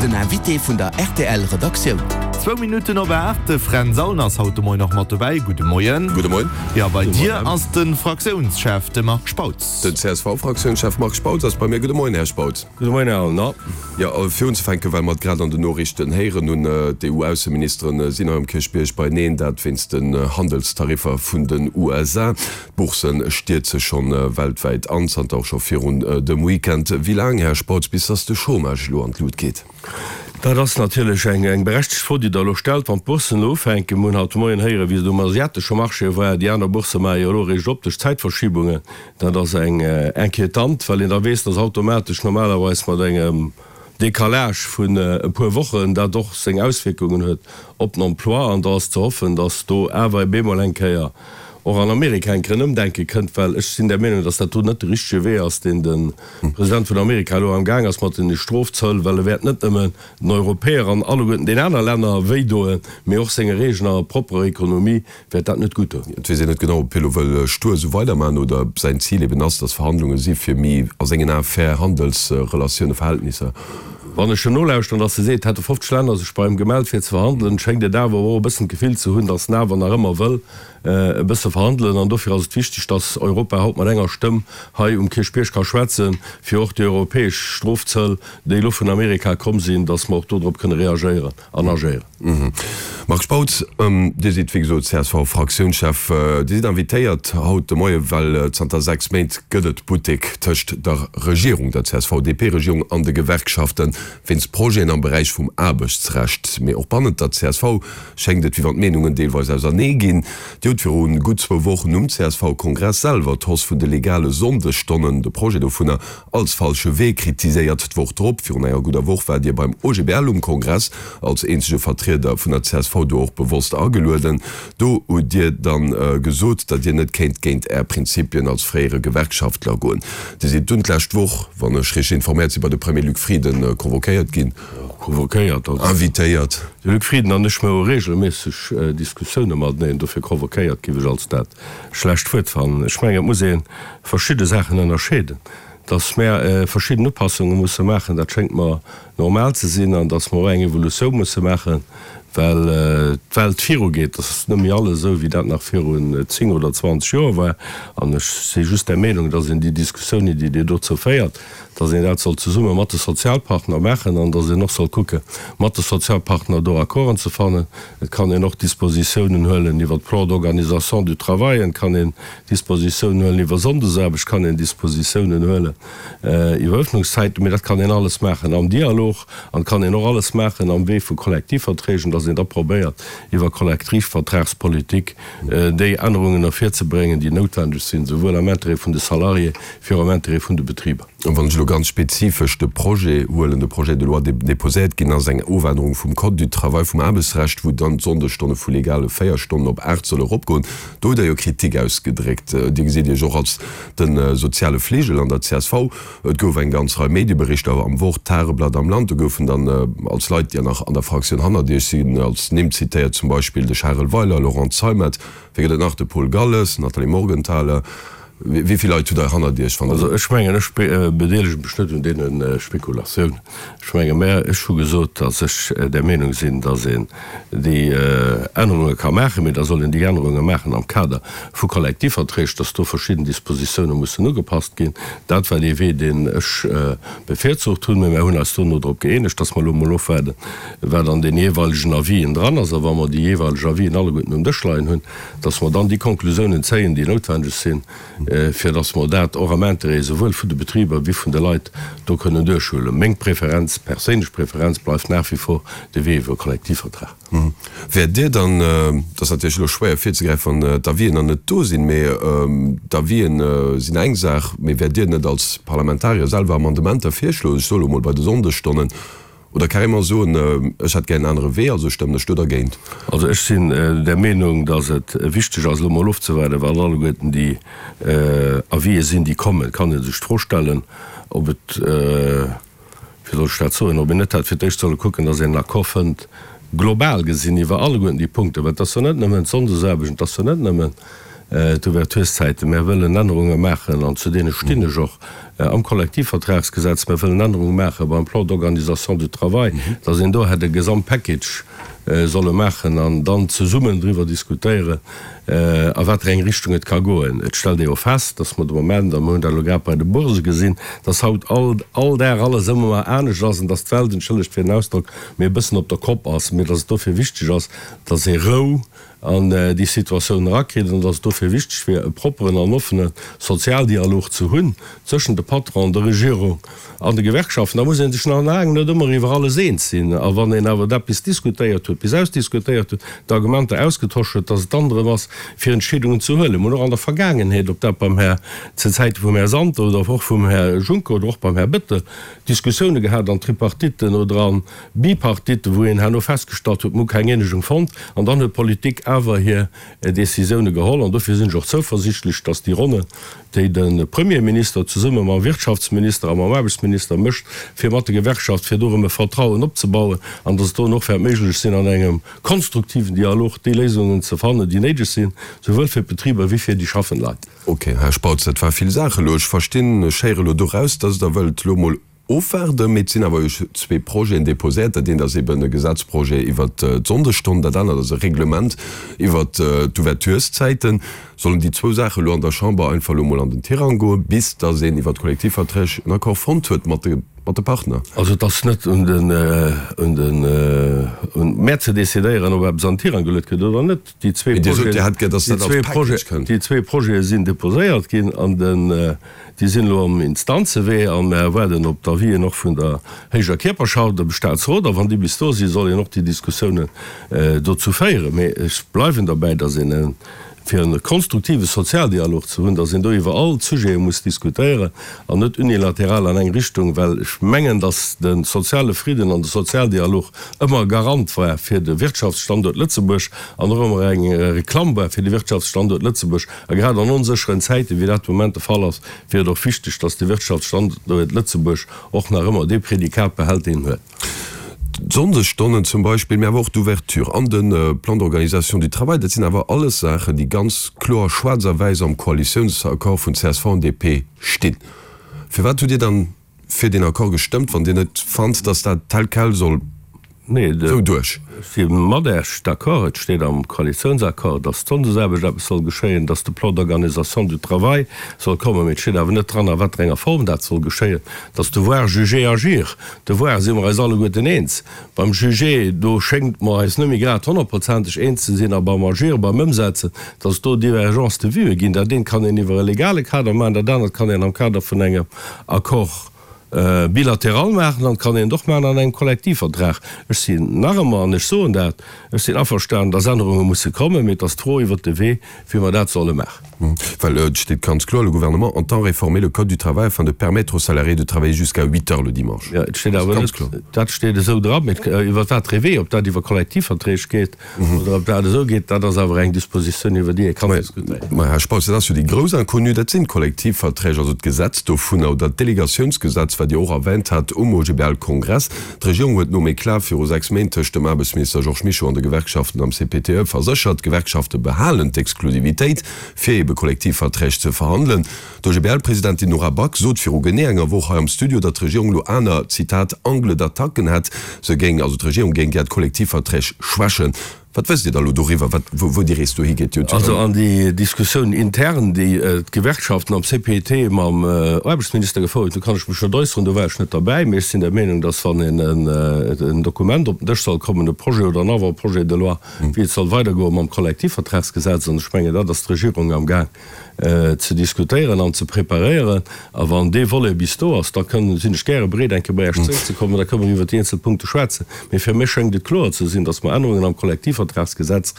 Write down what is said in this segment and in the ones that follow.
Den Invité vun der rtl Redaktioun. Zwou Minutten op 8, de Fränz Aulner ass haut de Moien och mat dobäi. Gudde Moien. Gudde Moien. Jo, bei dir ass de Fraktiounschef, de Marc Spautz. Den CSV-Fraktiounschef Marc Spautz ass bei mir. Gudde Moien, Här Spautz. Gudde Moien, Här Aulner. Jo, fir unzefänken, well mer et grad an den Noriichten héieren hunn, d'EU-Ausseministeren sinn hei um Kierchbierg beieneen, dat wéinst den Handelstariffer vun den USA. D'Boursen stierze schonn weltwäit an, zanter och scho virun dem Weekend. Wéi laang, Här Spautz, bis dass de Chômage elo an d'Lut geet? Dat ass natierlech eng berechtegt Fro, déi Der elo stellt. Wann d'Boursen elo ufänken, mir hunn haut de Moien héieren, wéi se um asiatesche Marché war, déi aner Bourse maache jo elo eréischt op duerch d'Zäitverschibungen, dat ass eng inquiétant, well een da weess, dass automatesch normalerweis mat engem Décalage vun e puer Wochen dat och seng Auswierkungen huet op den Emploi. An da ass ze hoffen, dass do awer bemol eng Kéier och an Amerika eng Kéier en Ëmdenke kënnt, well ech sinn der Meenung, dass dat do net de richtege Wee ass, deen de President vun Amerika elo amgaang ass mat den Strofzöll, well e wäert net nëmmen den Europäer an alleguerten den aner Länner wéidoen, mee och senger eegener propperer Ekonomie wäert dat net gutt doen. Et weess een net genau, ob hie lo wëll stur esou weidermachen oder ob säin Zil eben ass, dass Verhandlunge si fir méi a sengen Ae fair Handelsrelatioune, Verhältnisser. Wann ech en nolauschteren, dass e seet, hätte 50 Länner sech bei him gemellt fir ze verhandelen, schéngt et awer och e bëssen d'Gefill ze hunn, dass en awer nach ëmmer wëll e bësse verhandelen. An dofir ass et wichteg, dass Europa haut mat enger Stëmm hei um Kierchbierg ka schwätzen, fir och déi europäesch Strofzöll, déi elo vun Amerika komm sinn, dass mer och dodrop kënne reagéieren an agéieren. Marc Spautz, Dir sidd wéi gesot CSV-Fraktiounschef. Dir sidd invitéiert haut de Moie well zanter 6 Méint gëtt et Buttek tëscht der Regierung, der CSV-DP-Regierung an de Gewerkschafte wéinst Projeten am Beräich vum Aarbechtsrecht. Mee och bannent der csv schéngt et wéi wann d'Meenungen deelweis ausernee ginn. Dir hutt viru gutt zwou Wochen um CSV-Kongress selwer d'Hausse vun de legale Sonndesstonnen, de Projet dovunner, als falsche Wee kritiséiert. D'Woch drop, virun enger gudder Woch, waart Dir beim OGBL um Kongress als eenzege Vertrieder vun der csv do och bewosst agelueden. Do hutt Dir dann gesot, datt Dir net kéint géint Är Prinzipien als fréiere Gewerkschaftler goen. Dir sidd dunn d'lescht Woch, wann ech richteg informéiert sinn, bei de Premier Luc Frieden convoquéiert ginn. Convoquéiert, also. Invitéiert. De Luc Frieden an ech, mir hu regelméisseg Diskussioune mateneen, dofir convoquéiert giff ech als dat schlecht Wuert fannen. Ech mengen, et muss ee verschidde Saachen ënnerscheeden. Datt mär verschidden Upassunge musse maachen, dat schéngt mer normal ze sinn, an datt mer och eng Evolutioun musse maachen, well d'Welt virugeet. Et ass net méi alles esou, wéi dat nach virun 10 oder 20 Joer war. An ech si just der Meenung, datt een déi Diskussiounen, déi Dir dozou féiert, datt een dat soll zesumme mat de Sozialpartner maachen an datt een och soll kucke mat de Sozialpartner do Accorden ze fannen. Et kann een och Dispositiounen huelen iwwer d'Plan d'organisation du travail, et kann een Dispositiounen huelen iwwer Sonndesaarbecht, et kann een Dispositiounen huelen iwwer Öffnungszäiten, mee dat kann een alles maachen am Dialog an et kann een och alles maachen am Wee vu Kollektivverträgen, datt een da probéiert iwwer Kollektivvertragspolitik déi Ännerungen ervirzebréngen, déi noutwendeg sinn, souwuel am Intérêt vun de Salariés wéi och am Intérêt vun de Betriber. An wann ech elo ganz spezifesch de Projet huelen, de Projet de loi, dee déposéiert ginn ass, eng Ofännerung vum Code du travail, vum Aarbechtsrecht, wou dann d'Sonndesstonne vu legale 4 Stonnen op 8 solle eropgoen, do hutt Der jo Kritik ausgedréckt. Dir gesitt Iech och als de soziale Fligel an der csv. Et gouf eng ganz Rei Medieberichter am Wort, Tageblatt, am Land. Do goufen dann als Leit, déi nach an der Fraktioun hannert Iech sinn, als Nimm zitéiert, zum Beispill de Charel Weiler, Laurent Zeimet, wee gëtt et nach, de Paul Galles, Nathalie Morgenthaler. Wéi vill Leit hutt Der hannert Iech, wann Der. Also ech mengen, ech bedeelege mech net un deene Spekulatiounen. Ech menge mä ech hu gesot, datt ech der Meenung sinn, datt een déi Ännerunge ka maachen, mee da soll een déi Ännerunge maachen am Kader vu Kollektivverträg, datt do verschidden Dispositioune mussen ugepasst ginn. Dat war dee Wee, deen ech bevirzucht hunn. Mee mär hunn eis dono drop gëeenegt, datt mer elo emol ofwaarden, wat an den jeeweilegen Avisen dran ass. A wa mer déi jeeweileg Avisen alleguerten um Dësch leien hunn, dass mer dann déi Konklusiounen zéien, déi noutwendeg sinn, fir dass mer dat och am Intérêt esouwuel vun de Betriber wéi vun de Leit do kënnen duerchhuelen. Meng Preferenz, perséinlech Preferenz bleift nach wie vor de Wee iwwer e Kollektivvertrag. Wäert Dir dann, dat ass natierlech elo schwéier virzegräifen, wann d'Avisen nach net do sinn, mee d'Avisen sinn eng Saach, mee wäert Dir net als Parlamentarier selwer Amendementer virschloen, ech soe lo mol bei de Sonndesstonnen, Oder carrément soen, ech hätt gär en anere Wee, also stëmmen ech do dergéint. Also ech sinn der Meenung, datt et wichteg ass, elo mol ofzewaarden, wat alleguerten déi Avisë sinn, déi kommen. Et kann ee sech d'Fro stellen, ob et, wéi soll ech dat soen, ob een net hätt fir d'éischt solle kucken, datt een en Accord fënnt, global gesinn, iwwer alleguerten déi Punkten, well et ass jo net nëmmen d'Sonndesaarbecht, et ass jo net nëmmen d'Ouvertureszäiten. Mär wëllen Ännerunge maachen, an zu deene stinn ech och. Am Kollektivvertragsgesetz, mir wëllen Ännerunge maache beim Plan d'organisation du travail, dass een do hätt e Gesamtpackage solle maachen an dann zesummen driwwer diskutéieren, a wat fir eng Richtung et ka goen. Et stellt ee jo fest, dass mer de Moment, a mir hunn dat elo grad bei de Bourse gesinn, dass haut all all Dag alles ëmmer anescht ass an dass d'Welt, entschëllegt fir den Ausdrock, mee e bëssen op der Kopp ass, mee dass et dofir wichteg ass, dass ee Rou an déi Situatioun erakritt an dass et dofir wichteg wier, e propperen an offene Sozialdialog ze hunn zwëschen de Patronen, der Regierung an de Gewerkschaften. Da muss ee sech nach laang net ëmmer iwwer alles eens sinn. A wann een awer eppes diskutéiert huet, bis ausdiskutéiert huet, d'Argumenter ausgetosch huet, dass et dann drëm ass, fir Entscheedungen ze huelen. Mir hunn och an der Vergaangenheet, ob dat beim Här, zu Zäite vum Här Santer oder och vum Här Juncker oder och beim Här Bettel, Diskussioune gehat an Tripartitten oder an Bipartite, wou een herno festgestallt huet, mir hu keng Eenegung fonnt, an dann huet d'Politik awer hir Décisioune geholl. An dofir sinn ech och zouversichtlech, datt déi Ronne, déi de Premierminister zesumme mam Wirtschaftsminister a mam Aarbechtsminister mécht, fir mat de Gewerkschaft, fir do erëm e Vertrauen opzebauen, an datt et do och wäert méiglech sinn, an engem konstruktiven Dialog déi Léisungen ze fannen, déi néideg sinn, souwuel fir d'Betriber wéi fir déi schaffend Leit. Ok, Här Spautz, dat war vill Saache elo. Ech verstinn, ech héiere elo doraus, datt Der wëllt elo emol Ofwaarden, mee et sinn awer jo zwee Projeten déposéiert. Dat eent ass eben e Gesetzprojet iwwert d'Sonndesstonn, dat anert ass e Reglement iwwert d'Ouvertureszäiten. Sollen déi zwou Saache elo an der Chamber einfach elo emol an den Tirang goen, bis datt een iwwert d'Kollektivverträg en Accord fonnt huet mat de mat de Partner? Also et ass net un den un den un mär ze decidéieren, ob eppes an den Tirang geluet gëtt oder net. Déi zwee Mee Dir sot, Dir hätt gär, datt dat als Package kënnt. Déi zwee Projete sinn déposéiert ginn an den Déi sinn elo am Instanzewee a mer waarden op d'Avisen och vun der héijer Kierperschaft, dem Staatsrot. A wann déi bis do sinn, soll een och déi Diskussiounen dozou féieren. Mee ech bleiwen derbäi, datt een, fir e konstruktive Sozialdialog ze hunn, datt een do iwwer all d'Sujete muss diskutéieren an net unilateral an eng Richtung, well ech mengen, datt de soziale Fridden an de Sozialdialog ëmmer e Garant war fir de Wirtschaftsstanduert Lëtzebuerg an och ëmmer eng Reklamm war fir de Wirtschaftsstanduert Lëtzebuerg. A grad an onsécheren Zäiten, wéi dat de Moment de Fall ass, wier et och wichteg, dass de Wirtschaftsstanduert Lëtzebuerg och nach ëmmer dee Prädikat behält, deen en huet. D'Sonndesstonnen zum Beispill, mä awer och d'Ouverture an de Plan d'organisation du travail, dat sinn awer alles Saachen, déi ganz kloer schwaarz a wäiss am Koalitiounsaccord vun csv an DP stinn. Firwat hutt Dir dann fir deen Accord gestëmmt, wann Dir net fannt, dass dat tel quel soll esou duerch? Ech si mat Äech d'accord. Et steet am Koalitiounsaccord, dass d'Sonndesaarbecht eppes soll geschéien, dass de Plan d'organisation du travail soll kommen. Mee et steet awer net dran, a wat fir enger Form dat soll geschéien. Dass Devoir, juger, agir. Devoir si mer eis alleguerten eens. Beim Juger, do schéngt mer eis net méi grad honnertprozenteg eens ze sinn. A beim Agir, beim Ëmsetzen, dass et do Divergences de vues ginn. Dat eent kann een iwwer e legale Kader maachen, dat anert kann een am Kader vun engem Accord bilatéral maachen an et kann een et och maachen an engem Kollektivvertrag. Ech sinn nach ëmmer, an ech soen dat, ech sinn averstanen, dass Ännerunge musse kommen, mee et ass d'Fro iwwert de Wee, wéi mer dat solle maachen. Well et steet ganz kloer, Le gouvernement entend réformer le Code du travail afin de permettre aux salariés de travailler jusqu'à huit heures le dimanche. Jo, et steet awer net, dat steet esou dra, mee iwwer wat de Wee, ob dat iwwer Kollektivverträg geet, Oder ob dat esou geet, dat ass awer eng Dispositioun, iwwer déi ee kann diskutéieren. Mä, Här Spautz, dat ass jo déi grouss Inconnue, dat sinn d'Kollektivverträg, also d'Gesetz dovunner oder d'Delegatiounsgesetz, wat Dir och erwänt hat um OGBL-Kongress. D'Regierung huet nom Eclat viru 6 Méint tëscht dem Aarbechtsminister Georges Mischo an de Gewerkschaften am CPTE verséchert, d'Gewerkschafte behalen d'Exklusivitéit, fir ebe Kollektivverträg ze verhandelen. D'OGBL-Presidentin Nora Back sot viru genee enger Woch hei am Studio, datt d'Regierung elo aner, Zitat, Angles d'attaque hätt. Se géing, also d'Regierung géing gär d'Kollektivverträg schwächen. Wat wësst Dir da elo doriwwer, wat, wou déi Rees dohi geet? Dir hutt jo Also an déi Diskussioun intern, déi d'Gewerkschaften am CPET mam Aarbechtsminister gefouert hunn, do kann ech mech net äusseren, do war ech net derbäi. Mee ech sinn der Meenung, datt wann een en Dokument op den Dësch soll kommen, e Projet oder en Avant-projet de loi, wéi et soll weidergoe mam Kollektivvertragsgesetz, an ech mengen, dat ass d'Regierung amgaang ze diskutéieren an ze preparéieren. A wann dee Volet bis do ass, da kënnen, sinn ech gäre bereet, eng Kéier bei Iech zeréckzekommen, da kënnen mer iwwert déi eenzel Punkte schwätzen. Mee fir mech schéngt et kloer ze sinn, dass mer Ännerungen am Kollektivvertragsgesetz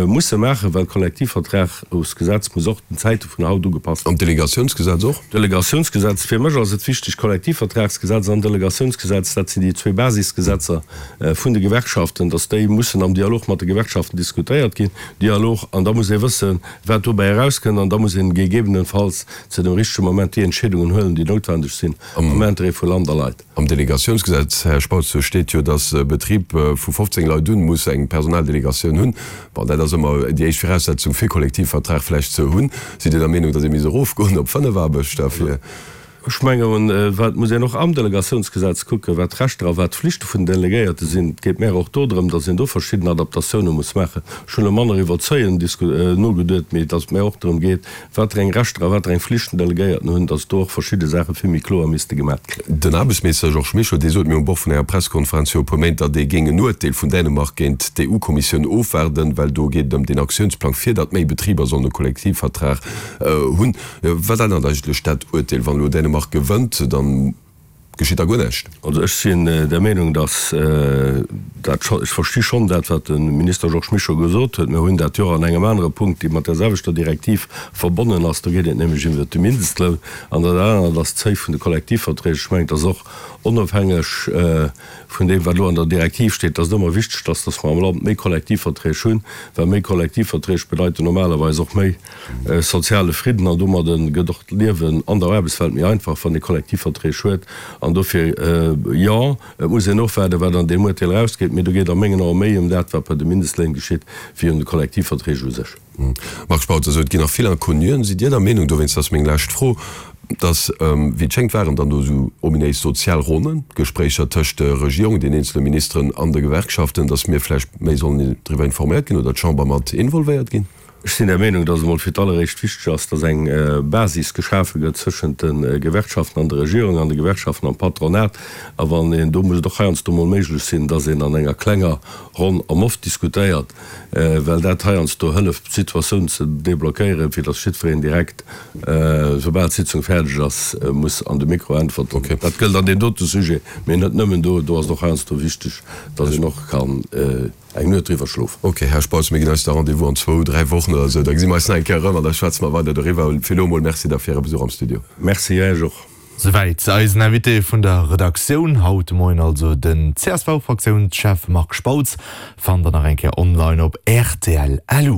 musse maachen, well d'Kollektivvertragsgesetz muss och den Zäite vun haut ugepasst ginn. An d'Delegatiounsgesetz och? D'Delegatiounsgesetz, fir mech ass et wichteg, Kollektivvertragsgesetz an Delegatiounsgesetz, dat sinn déi zwee Basisgesetzer vun de Gewerkschaften, dass déi mussen am Dialog mat de Gewerkschaften diskutéiert ginn. Dialog, an da muss ee wëssen, wat dobäi erauskënnt, an da muss een gegebenenfalls zu dem richtege Moment déi Entscheedungen huelen, déi noutwendeg sinn am Intérêt vu Land a Leit. Am Delegatiounsgesetz, Här Spautz, do steet jo, dass e Betrib vu 15 Leit un muss eng Personaldelegatioun hunn. Bon, dat ass ëmmer déi éischt Viraussetzung fir Kollektivvertrag vläicht ze hunn. Sidd Dir der Meenung, dass ee misst erofgoen op 5 Aarbechter fir? Ech mengen, wat muss een och am Delegatiounsgesetz kucken, wat d'Rechter a wat d'Flichte vun den Delegéierte sinn. Et geet mär och do drëm, datt een do verschidden Adaptatioune muss maachen. Ech hunn elo manner iwwer d'Seuilen nogeduet, mee datt et mär och drëm geet, wat fir eng Rechter a wat fir eng Flichten d'Delegéierten hunn, datt do och verschidde Saache vill méi kloer misste gemat ginn. Den Aarbechtsminister Georges Mischo, dee sot mir um Bord vun enger Pressekonferenz viru e puer Méint, datt ee géing en Uerteel vun Dänemark géint d'EU-Kommissioun ofwaarden, well do geet et ëm deen Aktiounsplang, fir datt méi Betriber sollen e Kollektivvertrag hunn. Wat ännert eigentlech dat Uerteel? Wann elo Dänemark gewënnt, dann geschitt da guer näischt? Also ech sinn der Meenung, datt dat scho, ech versti schonn dat, wat de Minister Georges Mischo gesot huet. Mir hunn dat jo och an engem anere Punkt, dee mat där selwechter Direktiv verbonnen ass. Do geet et nämlech iwwert de Mindestloun. An dat anert ass d'Seuil vun de Kollektivverträg. Ech mengen, et ass och onofhängeg vun deem, wat elo an der Direktiv steet, dass et ëmmer wichteg ass, dass mer am Land méi Kollektivverträg hunn, well méi Kollektivverträg bedeiten normalerweis och méi soziale Fridden an domadde gëtt och d'Liewen an der Aarbechtswelt méi einfach, wann ee Kollektivverträg huet. An dofir, jo, et muss een ofwaarden, wat an deem Uerteel erausgeet, mee do geet a mengen Ae méi ëm dat, wat bei de Mindestléin geschitt, wéi ëm de Kollektivverträg u sech. Marc Spautz, Also et ginn nach vill Inconnuen. Sidd Dir der Meenung, dowéinst ass meng lescht Fro, dass, wéi et schéngt waren dann do esou ominéis sozial Ronnen, Gespréicher tëscht der Regierung, den eenzele Ministeren an de Gewerkschaften, dass mir vläicht méi sollen driwwer informéiert ginn oder d'Chamber mat involvéiert ginn? Ech sinn der Meenung, dass et emol fir d'alleréischt wichteg ass, dass eng Basis geschafe gëtt tëschent de Gewerkschaften an der Regierung an de Gewerkschaften am Patronat. A wann een, do muss et och heiansdo emol méiglech sinn, dass een an enger klenger Ronn am Off diskutéiert, well dat heiansdo hëlleft, d'Situatioun ze deblockéieren, fir dass jiddwereen direkt, soubal d'Sitzung fäerdeg ass, muss an de Mikro äntwerten. Dat gëllt an deem dote Sujet, mee net nëmmen do. Do ass et och heiansdo wichteg, dass een och kann eng Nuet driwwer schlofen. Ok, Här Spautz, mir ginn eis da Rendez-vous an zwou, dräi Wochen oder esou. Da gesi mer eis nach eng Kéier erëm an da schwätze mer weider doriwwer. Fir elo emol Merci da fir Äre Besuch am Studio. Merci Iech och. Souwäit eisen Invité vun der Redaktioun haut de Moien, also den CSV-Fraktiounschef Marc Spautz. Fannt der nach eng Kéier online op rtl. Lu.